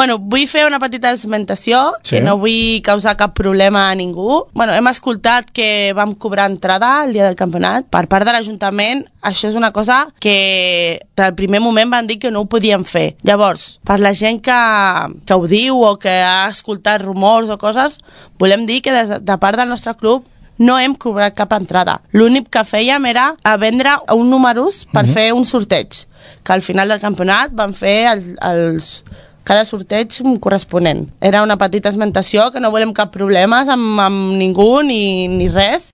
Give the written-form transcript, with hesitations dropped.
Bueno, vull fer una petita esmentació, que no vull causar cap problema a ningú. Bueno, hem escoltat que vam cobrar entrada el dia del campionat. Per part de l'Ajuntament, això és una cosa que del primer moment van dir que no ho podíem fer. Llavors, per la gent que ho diu o que ha escoltat rumors o coses, volem dir que de part del nostre club no hem cobrat cap entrada. L'únic que fèiem era a vendre uns números per fer un sorteig, que al final del campionat van fer cada sorteig corresponent. Era una petita esmentació, que no volem cap problemes amb ningú ni res.